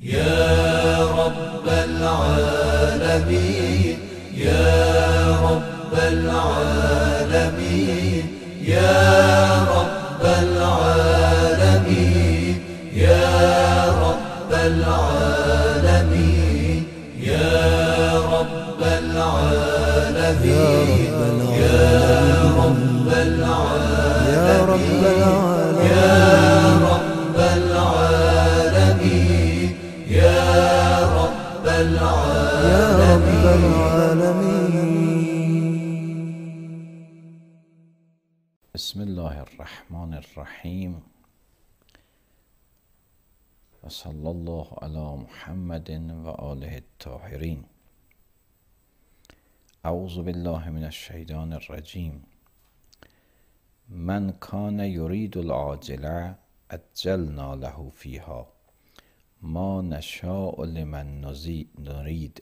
يا رب العالمين يا رب العالمين يا رب العالمين يا رب العالمين يا رب العالمين يا رب العالمين يا رب العالمين يا رب العالمين. بسم الله الرحمن الرحيم وصلى الله على محمد وآله الطاهرين. أعوذ بالله من الشيطان الرجيم. من كان يريد العاجلة عجلنا له فيها ما نشاء لمن نريد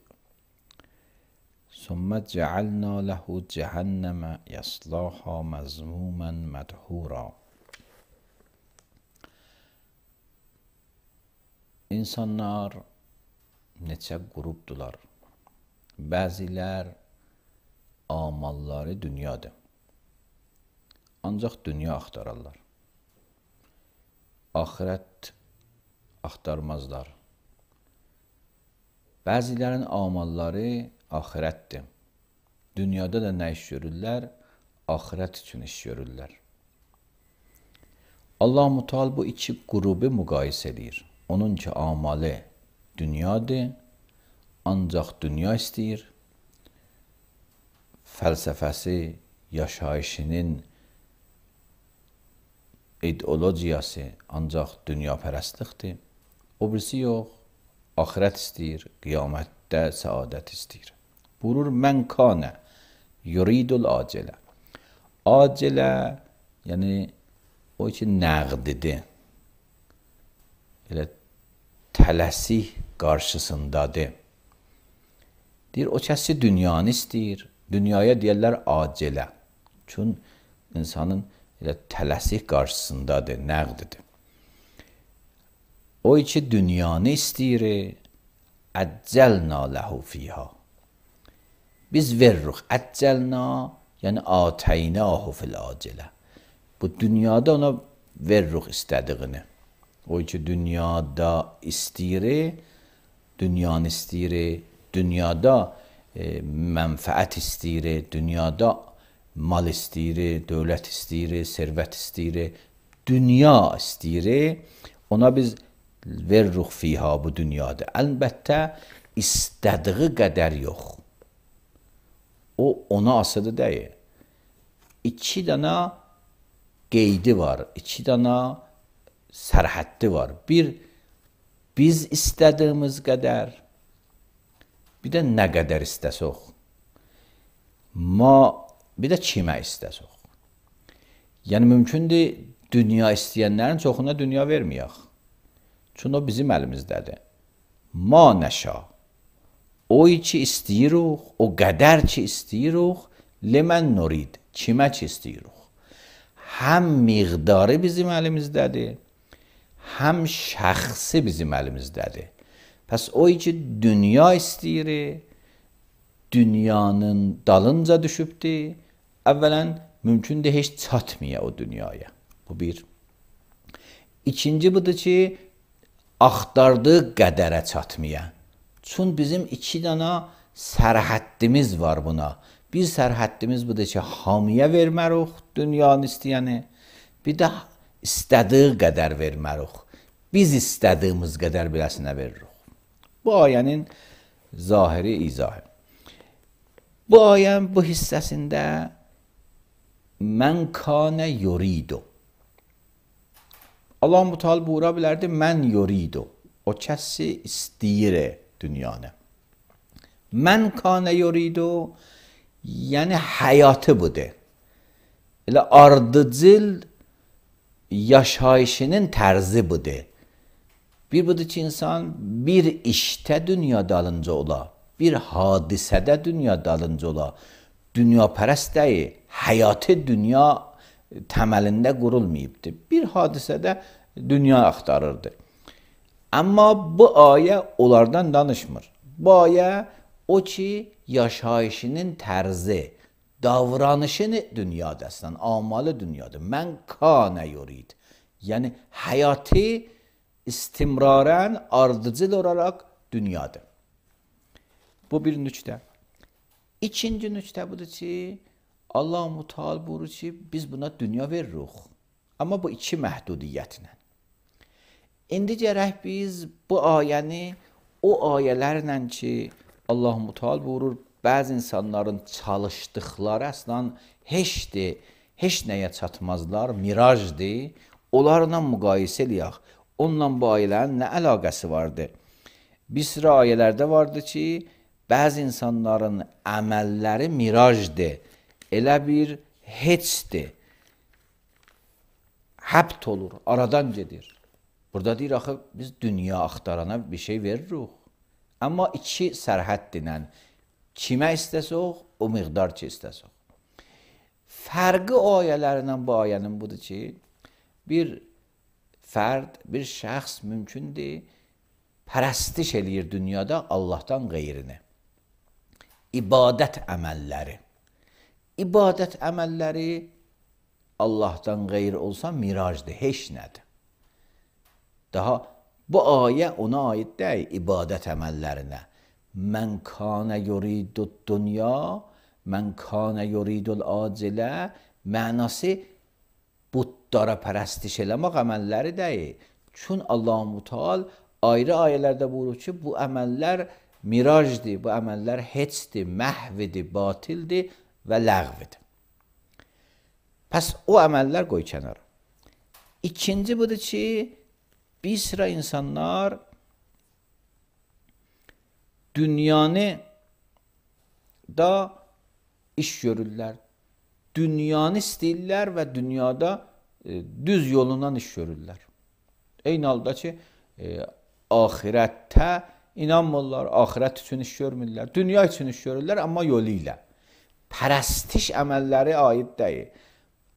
ثم جعلنا له جهنم يصلاها مذموما مدحورا. İnsanlar neçə qrupdular. Bəzilər amalları dünyadır. Ancaq dünya axtararlar. Ahirət axtarmazlar. Bəzilərin amalları ahirətdir. Dünyada da nə iş görürlər? Ahirət üçün iş görürlər. Allah-u Teala bu iki qrubu müqayisə edir. Onun ki amalı dünyadır, ancaq dünya istəyir. Fəlsəfəsi, yaşayışının ideologiyası ancaq dünyapərəstlikdir. O birisi yox, ahirət istəyir, qiyamətdə səadət istəyir. Buyurur, mən kanə yuridul acilə. Acilə, yəni o ki nəqdidir. Elə tələsik qarşısındadır. Deyir, o kəsi dünyanı istəyir. Dünyaya deyərlər acilə. Çünki insanın elə tələsik qarşısındadır, nəqdidir. O ki dünyanı istəyir, əccəlna ləhu fiha. Biz veririk. Əccəlna, yəni atəynahu fil acilə. Bu dünyada ona veririk istədiyini. O ki dünyada istəyir, dünyanı istəyir, dünyada mənfəət istəyir, dünyada mal istəyir, dövlət istəyir, servət istəyir, dünya istəyir, ona biz veririk fiha bu dünyada. Əlbəttə, istədiyi qədər yox. O, ona asılı deyil. İki dana qeydi var, iki dana sərhəddi var. Bir, biz istədiyimiz qədər, bir də nə qədər istəsək. Bir də kimə istəsək. Yəni, mümkündür, dünya istəyənlərin çoxuna dünya verməyək. Çünki o bizim əlimizdədir. Ma nəşa. O ki istəyirik, o qədər ki istəyirik, limən nurid. Kimə ki istəyirik. Həm miqdarı bizim əlimizdədir, həm şəxsi bizim əlimizdədir. Pəs o ki dünya istəyir, dünyanın dalınca düşübdür, əvvələn mümkündür heç çatmaya o dünyaya. Bu bir. İkinci budur ki, axtardığı qədərə çatmaya. Çünki bizim iki dana sərhəddimiz var buna. Bir sərhəddimiz budur ki, hamıya vermərik dünyanı istəyəni. Bir də istədiyi qədər vermərik. Biz istədiyimiz qədər biləsinə veririk. Bu ayənin zahiri izahı. Bu ayənin bu hissəsində mən kanə yuridu. Allah-u Teala buyura bilərdi, mən yuridu. O kəsi istəyir dünyanı. Mən kanə yuridu, yəni həyatı budur. Elə ardıcıl yaşayışının tərzi budur. Bir budur ki, insan bir işdə dünya dalınca ola, bir hadisədə dünya dalınca ola. Dünya pərəst deyil, həyatı dünya təməlində qurulmayıbdır. Bir hadisədə dünya axtarırdı. Amma bu ayə onlardan danışmır. Bu ayə o ki, yaşayışının tərzi, davranışını dünyadasından, amalı dünyada. Mən kana yurid. Yəni, həyatı istimrarən, ardıcıl olaraq dünyada. Bu bir nüqtə. İkinci nüqtə budur ki, Allah-u Teala buyurur ki, biz buna dünya veririk. Amma bu iki məhdudiyyətlə. İndi gərək biz bu ayəni o ayələrlə ki, Allah-u Teala buyurur, bəzi insanların çalışdıqları əslən heçdir, heç nəyə çatmazlar, mirajdır. Onlarla müqayisə eləyək. Onunla bu ayələrin nə əlaqəsi vardır? Bir sıra ayələrdə vardır ki, bəzi insanların əməlləri mirajdır, elə bir heçdir, həbt olur, aradan gedir. Burada deyir, axı, biz dünya axtarana bir şey veririk. Amma iki sərhəddirlə, kimə istəsək, o miqdar ki istəsək. Fərqi o ayələrindən bu ayənin budur ki, bir fərd, bir şəxs mümkündür, pərəstiş eləyir dünyada Allahdan qeyrini. İbadət əməlləri. İbadət əməlləri Allahdan qeyri olsa mirajdır, heç nədir. Daha bu ayə ona aid deyil, ibadət əməllərinə. Mən kanə yuridud dünya, mən kanə yuridul acilə mənası butlara pərəstiş eləmək əməlləri deyil. Çün Allah-u Teala ayrı ayələrdə buyurur ki, bu əməllər mirajdır, bu əməllər heçdir, məhvidir, batildir və ləğvidir. Pəs o əməllər qoy kənara. İkinci budur ki, bir sıra insanlar dünyanı da iş görürlər. Dünyanı istəyirlər və dünyada düz yolundan iş görürlər. Eyni halda ki, ahirətdə inanmırlar, ahirət üçün iş görmürlər. Dünya üçün iş görürlər, amma yolu ilə. Pərəstiş əməlləri aid deyil.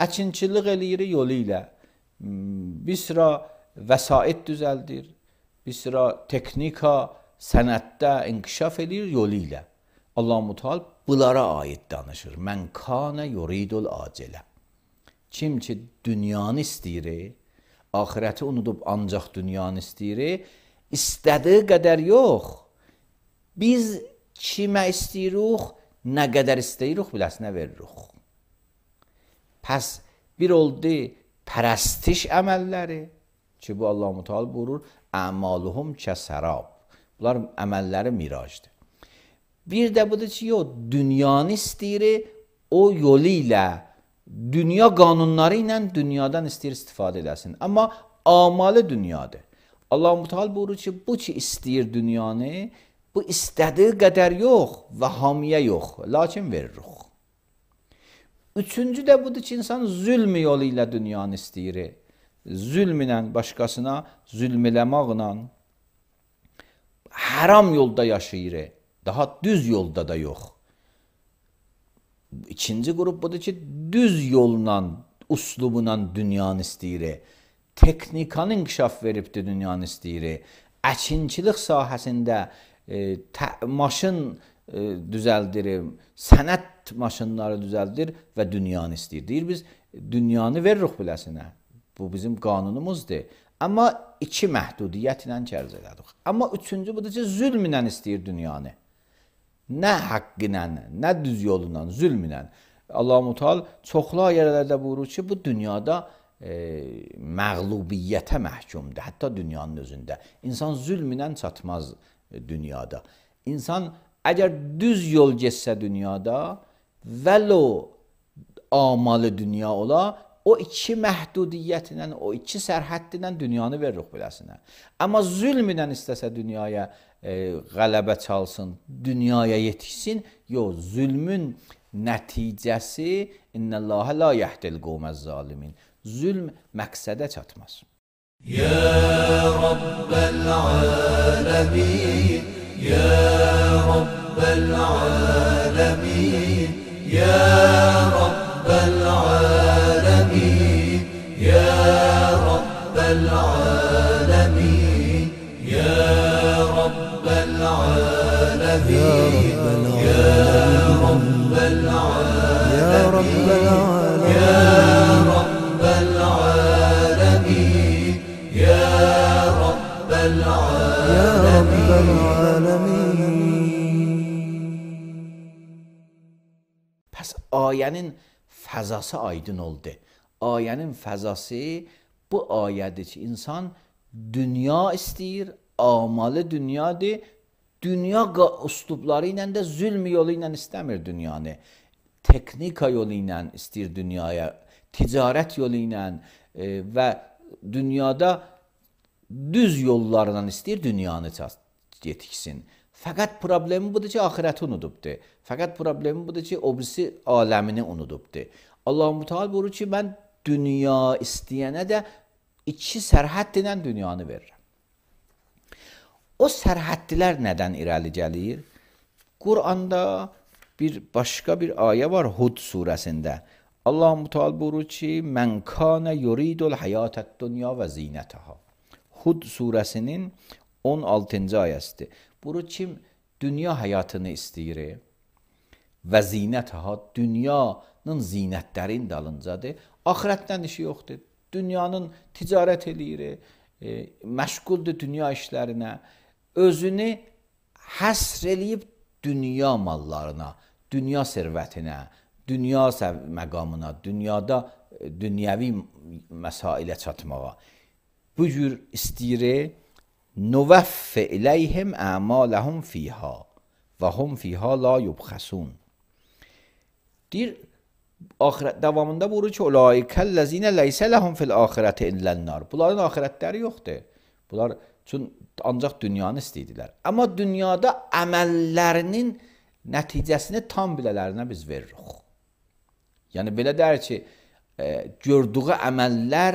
Əkinçilik eləyir yolu ilə. Bir sıra vəsait düzəldir, bir sıra texnika, sənətdə inkişaf edir yolu ilə. Allah-u Teala bunlara aid danışır. Mən kanə yuridul acilə. Kim ki dünyanı istəyir, ahirəti unudub ancaq dünyanı istəyir, istədiyi qədər yox. Biz kimə istəyirik, nə qədər istəyirik, biləsinə veririk. Pəs bir oldu pərəstiş əməlləri, ki bu Allah-u Teala buyurur, əmaluhum kəsərab. Bunlar əməlləri mirajdır. Bir də budur ki, yox, dünyanı istəyir, o yolu ilə, dünya qanunları ilə dünyadan istəyir istifadə eləsin. Amma amalı dünyadır. Allah-u Teala buyurur ki, bu ki istəyir dünyanı, bu istədiyi qədər yox və hamiyə yox, lakin veririk. Üçüncü də budur ki, insan zülm yolu ilə dünyanı istəyir. Zülm ilə, başqasına zülm eləməklə haram yolda yaşayır, daha düz yolda da yox. İkinci qrup budur ki, düz yolla, uslubla dünyanı istəyir. Texnikanı inkişaf veribdir dünyanı istəyir. Əkinçilik sahəsində maşın düzəldir, sənət maşınları düzəldir və dünyanı istəyir. Deyir, biz dünyanı veririk biləsinə. Bu bizim qanunumuzdur. Amma iki məhdudiyyətlə kərz elədik. Amma üçüncü budur ki, zülm ilə istəyir dünyanı. Nə haqq ilə, nə düz yolu ilə, zülm ilə. Allah-u Teala çoxlu ayələrdə buyurur ki, bu dünyada məğlubiyyətə məhkumdur. Hətta dünyanın özündə. İnsan zülm ilə çatmaz dünyada. İnsan əgər düz yol getsə dünyada, vəlo amalı dünya ola, o iki məhdudiyyətlə, o iki sərhədlə dünyanı veririk biləsinə. Amma zülm ilə istəsə dünyaya qələbə çalsın, dünyaya yetişsin, yox, zülmün nəticəsi innəlləhə la yəhdil qovməz zalimin. Zülm məqsədə çatmaz. Ya Rabbəl aləmin, Ya Rabbəl aləmin, Ya Rabbəl aləmin, Ya Rabbəl aləmin, رب العالمين يا رب العالمين يا رب العالمين. Pəs ayənin fəzası aydın oldu. Ayənin fəzası bu ayədir ki, insan dünya istəyir, amalı dünyadır. Dünya üslubları ilə də zülm yolu ilə istəmir dünyanı. Teknika yolu ilə istəyir dünyaya, ticarət yolu ilə və dünyada düz yollarla istəyir dünyanı yetiksin. Fəqət problemi budur ki, axirəti unudubdur. Fəqət problemi budur ki, o birisi aləmini unudubdur. Allah-u Teala buyurur ki, mən dünya istəyənə də iki sərhəd ilə dünyanı verirəm. O sərhəddlər nədən irəli gəlir? Quranda başqa bir ayə var Hud surəsində. Allah-u Teala buyurur ki, mən kana yuridul hayatəd dünya və zinətəha. Hud surəsinin 16-cı ayəsidir. Buyurur ki, dünya həyatını istəyir və zinətəha, dünyanın zinətlərin dalıncadır. Axirətdən işi yoxdur. Dünyanın ticarət eləyir, məşğuldur dünya işlərinə. Özünü həsr eləyib dünya mallarına, dünya sərvətinə, dünya məqamına, dünyada dünyəvi məsailə çatmağa. Bu cür istəyir, nuvəffə iləyhim əmaləhum fiyha və hum fiyha la yubxəsun. Deyir, davamında buyurur ki, ulaikəl-ləzinə ləysə ləhum fil-axirəti illən-nar. Bunların axirətləri yoxdur. Bunlar üçün ancaq dünyanı istəyirdilər. Amma dünyada əməllərinin nəticəsini tam bilələrinə biz veririk. Yəni, belə deyir ki, gördüğü əməllər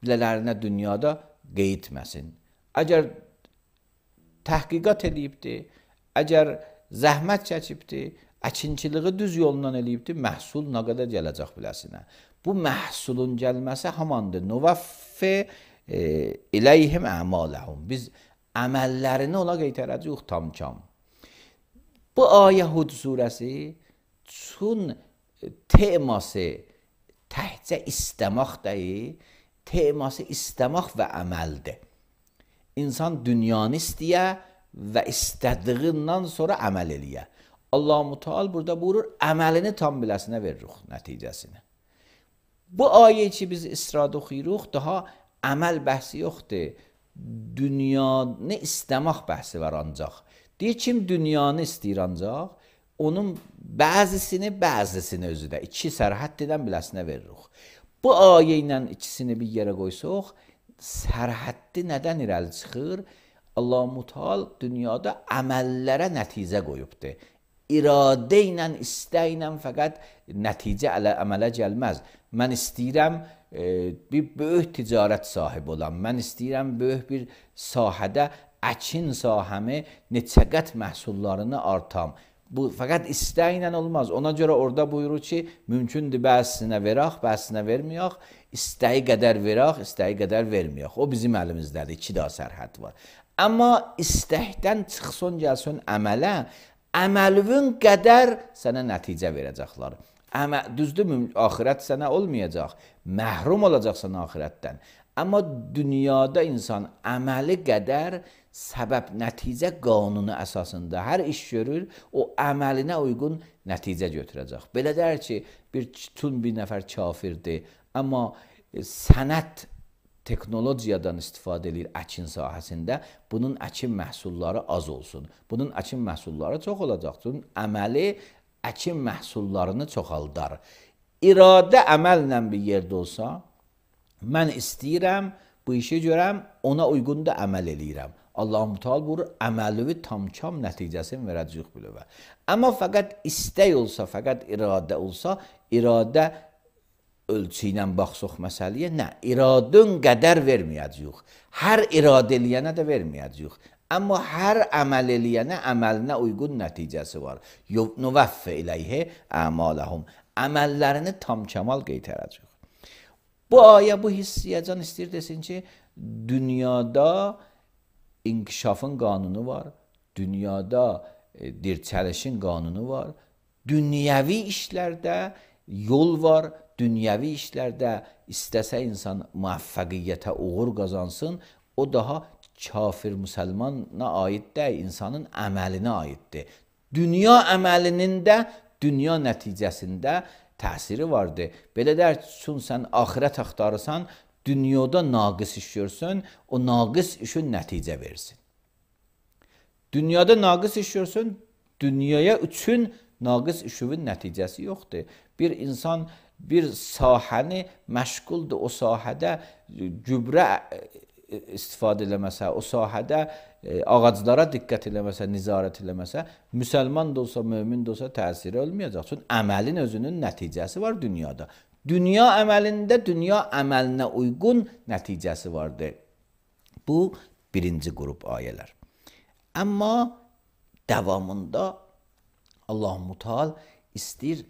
bilələrinə dünyada qeyd etməsin. Əgər təhqiqat edibdir, əgər zəhmət çəkibdir, əkinçiliği düz yolundan eləyibdir, məhsul nə qədər gələcək biləsinə. Bu məhsulun gəlməsi hamandır. Nuvəffə iləyhim əmaləhum. Biz əməllərini ona qeytərəcəyik tam-kam. Bu ayə Hud surəsi çün teması təhcə istəmək deyil, teması istəmək və əməldir. İnsan dünyanı istəyə və istədiyindən sonra əməl eləyə. Allah-u Teala burada buyurur, əməlini tam biləsinə veririk nəticəsini. Bu ayə ki, biz İsrada oxuyuruq, daha əməl bəhsi yoxdur. Dünyanı istəmək bəhsi var ancaq. Deyir, kim dünyanı istəyir ancaq, onun bəzisini özü də iki sərhəd edən biləsinə veririk. Bu ayə ilə ikisini bir yerə qoysuq, sərhəddi nədən irəli çıxır? Allah-u Teala dünyada əməllərə nəticə qoyubdur. İradə ilə, istək ilə fəqət nəticə əmələ gəlməz. Mən istəyirəm bir böyük ticarət sahibi olam. Mən istəyirəm böyük bir sahədə əkin sahəmi neçə qət məhsullarını artam. Bu fəqət istək ilə olmaz. Ona görə orada buyurur ki, mümkündür bəzisinə verək, bəzisinə verməyək, istəyi qədər verək, istəyi qədər verməyək. O bizim əlimizdədir, iki daha sərhəd var. Amma istəkdən çıxsın, gəlsin əmələ, əməlvün qədər sənə nəticə verəcəklər. Düzdür, axirət sənə olmayacaq, məhrum olacaqsan axirətdən. Amma dünyada insan əməli qədər səbəb nəticə qanunu əsasında hər iş görür, o əməlinə uyğun nəticə götürəcək. Belə deyir ki, bir nəfər kafirdir, amma sənət teknologiyadan istifadə edir əkin sahəsində, bunun əkin məhsulları az olsun. Bunun əkin məhsulları çox olacaq. Çünki əməli əkin məhsullarını çoxaldar. İradə əməllə bir yerdə olsa, mən istəyirəm, bu işi görəm, ona uyğun da əməl eləyirəm. Allah-u Teala buyurur, əməlivi tam-kam nəticəsini verəcəyik bilövə. Amma fəqət istək olsa, fəqət iradə olsa, iradə ölçü ilə baxsaq məsələyə, nə? İradın qədər verməyəcəyik. Hər iradə eləyənə də verməyəcəyik. Amma hər əməl eləyənə əməlinə uyğun nəticəsi var. Nuvəffə iləyhə əmaləhum. Əməllərini tam-kamal qeytərəcəyik. Bu ayə, bu hissiyəcan istəyir desin ki, dünyada inkişafın qanunu var. Dünyada dirçəlişin qanunu var. Dünyəvi işlərdə yol var. Dünyəvi işlərdə istəsə insan müvəffəqiyyətə uğur qazansın, o daha kafir müsəlmana aid deyil, insanın əməlinə aiddir. Dünya əməlinin də dünya nəticəsində təsiri vardır. Belə deyək ki, sən axirət axtarırsan, dünyada naqis iş görsün, o naqis işin nəticə versin. Dünyada naqis iş görsün, dünyaya üçün naqis işin nəticəsi yoxdur. Bir insan bir sahəni məşğuldur, o sahədə gübrə istifadə eləməsə, o sahədə ağaclara diqqət eləməsə, nizarət eləməsə, müsəlman da olsa, mömin də olsa təsiri olmayacaq. Çünki əməlin özünün nəticəsi var dünyada. Dünya əməlində dünya əməlinə uyğun nəticəsi vardır. Bu birinci qrup ayələr. Amma davamında Allah-u Teala istəyir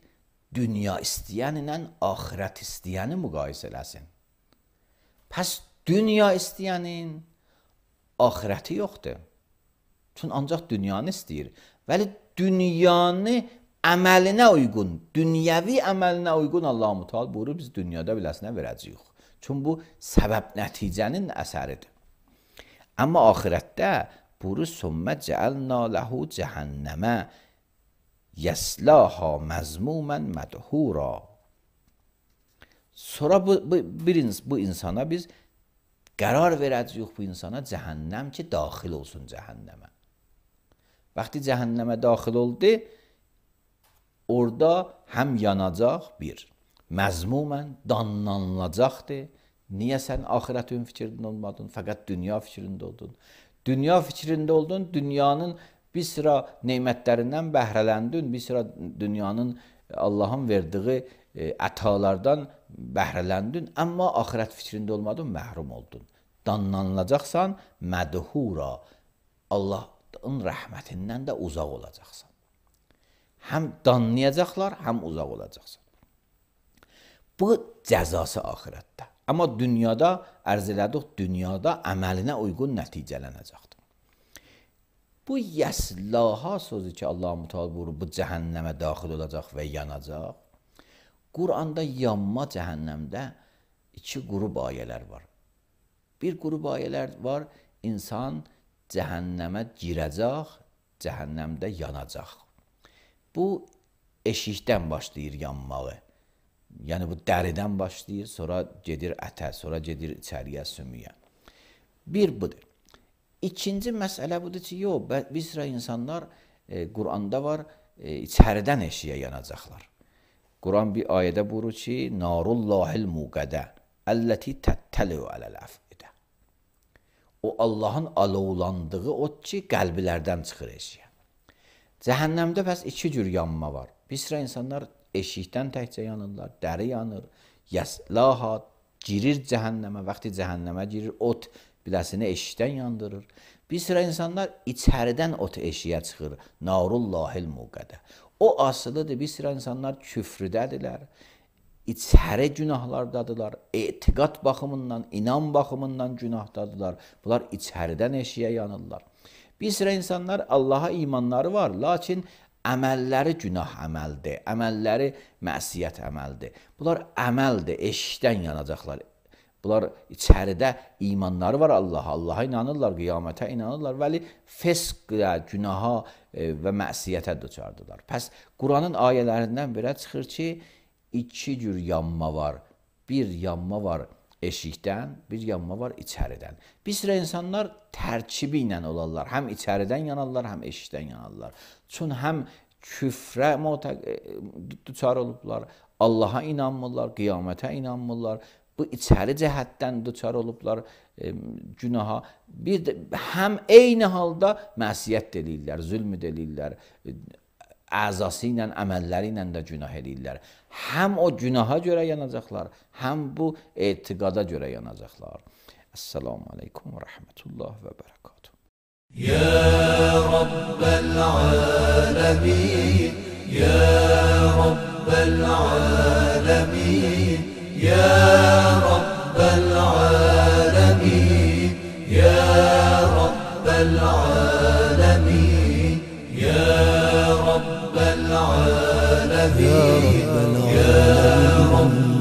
dünya istəyən ilə axirət istəyəni müqayisə eləsin. Pəs dünya istəyənin axirəti yoxdur. Çünki ancaq dünyanı istəyir. Vəli dünyanı əməlinə uyğun, dünyəvi əməlinə uyğun Allah-u Teala buyurur, biz dünyada biləsinə verəcəyik. Çünki bu səbəb nəticənin əsəridir. Amma axirətdə buyurur, sümmə cəəlnə ləhu cəhənnəmə yəslaha məzmumən mədhura. Sonra bu insana biz qərar verəcəyik, bu insana cəhənnəm ki, daxil olsun cəhənnəmə. Vaxtı cəhənnəmə daxil oldu, orada həm yanacaq bir, məzmumən danlanılacaqdır. Niyə sən axirətin fikrində olmadın, fəqət dünya fikrində oldun? Dünya fikrində oldun, dünyanın bir sıra neymətlərindən bəhrələndin, bir sıra dünyanın Allahın verdiyi ətalardan bəhrələndin, amma axirət fikrində olmadın, məhrum oldun. Danlanılacaqsan, mədhura, Allahın rəhmətindən də uzaq olacaqsan. Həm danlayacaqlar, həm uzaq olacaqsan. Bu cəzası axirətdə. Amma dünyada, ərz elədik, dünyada əməlinə uyğun nəticələnəcəkdir. Bu yəslaha sözü ki, Allah-u Teala buyurur, bu cəhənnəmə daxil olacaq və yanacaq. Quranda yanma cəhənnəmdə iki qrup ayələr var. Bir qrup ayələr var, insan cəhənnəmə girəcək, cəhənnəmdə yanacaq. Bu eşikdən başlayır yanmağı. Yəni bu dəridən başlayır, sonra gedir ətə, sonra gedir içəriyə, sümüyə. Bir budur. İkinci məsələ budur ki, yox, bir sıra insanlar Quranda var, içəridən eşiyə yanacaqlar. Quran bir ayədə buyurur ki, narullahil muqədə əlləti təttəliu ələl-əfidə. O Allahın alovlandığı ot ki, qəlbilərdən çıxır eşiyə. Cəhənnəmdə bəs iki cür yanma var. Bir sıra insanlar eşikdən təkcə yanırlar, dəri yanır, yəslaha girir cəhənnəmə, vaxtı cəhənnəmə girir, ot biləsini eşikdən yandırır. Bir sıra insanlar içəridən ot eşiyə çıxır, narullahil muqədə. O asılıdır, bir sıra insanlar küfrüdədirlər, içəri günahlardadılar, etiqad baxımından, inan baxımından günahdadılar. Bunlar içəridən eşiyə yanırlar. Bir sıra insanlar Allaha imanları var, lakin əməlləri günah əməldir, əməlləri məsiyyət əməldir. Bunlar əməldir, eşikdən yanacaqlar. Bunlar içəridə imanları var Allaha inanırlar, qiyamətə inanırlar, vəli fəsqə, günaha və məsiyyətə düçardılar. Pəs Quranın ayələrindən belə çıxır ki, iki cür yanma var. Bir yanma var eşikdən, bir yanma var içəridən. Bir sıra insanlar tərkibi ilə olarlar. Həm içəridən yanarlar, həm eşikdən yanarlar. Çünki həm küfrə düçar olublar, Allaha inanmırlar, qiyamətə inanmırlar. Bu içəri cəhətdən düçar olublar günaha. Bir də həm eyni halda məsiyyət eləyirlər, zülm eləyirlər, əzası ilə, əməlləri ilə də günah eləyirlər. Həm o günaha görə yanacaqlar, həm bu etiqada görə yanacaqlar. Esselamu aleykum və rəhmətullah və bərəkatuhu. Ya Rabbel alemin, Ya Rabbel alemin, Ya Rabbel alemin, Ya Rabbel alemin, Ya العالمين يا رب